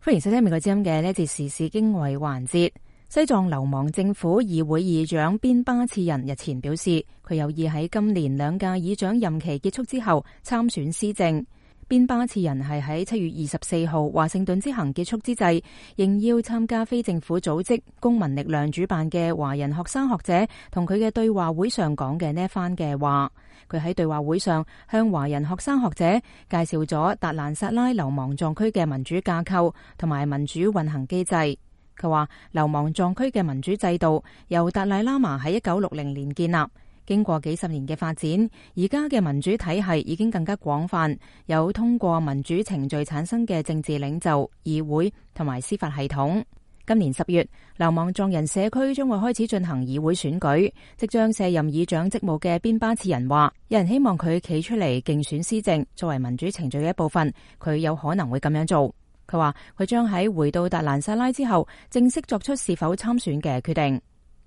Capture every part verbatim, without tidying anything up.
歡迎收聽美國之音嘅呢一節時事經緯環節。西藏流亡政府議會議長邊巴次仁日前表示，佢有意喺今年兩屆議長任期結束之後參選施政。邊巴次仁係喺七月二十四號華盛頓之行結束之際，應邀參加非政府組織公民力量主辦嘅華人學生學者同佢嘅對話會上講嘅呢一番嘅話。佢喺對話會上向華人學生學者介紹咗達蘭薩拉流亡藏區嘅民主架構同埋民主運行機制。佢話流亡藏區嘅民主制度由達賴喇嘛喺一九六零年建立，經過幾十年嘅發展，而家嘅民主體系已經更加廣泛，有通過民主程序產生嘅政治領袖、議會同埋司法系統。今年十月，流亡藏人社區將會開始進行議會選舉，即將卸任議長職務嘅邊巴次仁話，有人希望佢企出嚟競選施政，作為民主程序嘅一部分，佢有可能會咁樣做。佢話佢將喺回到達蘭薩拉之後，正式作出是否參選嘅決定。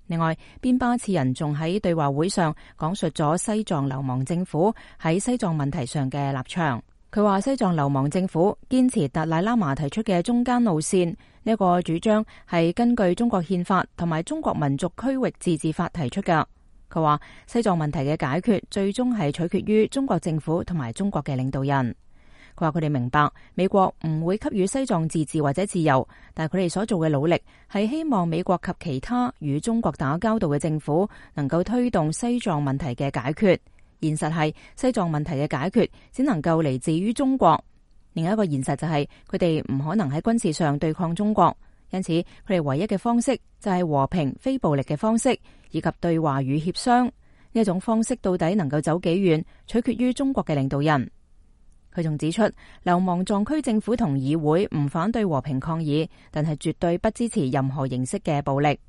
另外，邊巴次仁仲喺對話會上講述咗西藏流亡政府喺西藏問題上嘅立場。佢話西藏流亡政府堅持達賴喇嘛提出嘅中間路線，呢個主張係根據中國憲法同埋中國民族區域自治法提出㗎。佢話西藏問題嘅解決最終係取決於中國政府同埋中國嘅領導人。佢話佢哋明白美國唔會給予西藏自治或者自由，但係佢哋所做嘅努力係希望美國及其他與中國打交道嘅政府能夠推動西藏問題嘅解決。現實係西藏問題嘅解決只能夠嚟自於中國。另一個現實就係佢哋唔可能喺軍事上對抗中國，因此佢哋唯一嘅方式就係和平非暴力嘅方式，以及對話與協商。呢一種方式到底能夠走幾遠，取決於中國嘅領導人。佢仲指出，流亡藏區政府同議會唔反對和平抗議，但係絕對不支持任何形式嘅暴力。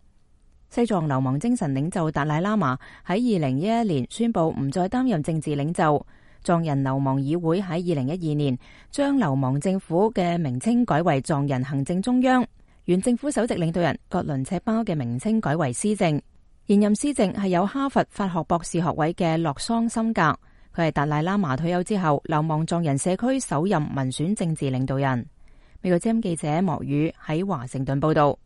西藏流亡精神領袖達賴喇嘛喺二零一一年宣布唔再擔任政治領袖。藏人流亡議會喺二零一二年將流亡政府嘅名稱改為藏人行政中央，原政府首席領導人格倫赤巴嘅名稱改為施政。現任施政係有哈佛法學博士學位嘅洛桑森格。佢係達賴喇嘛退休之後流亡藏人社區首任民選政治領導人。美國之音記者莫宇喺華盛頓報道。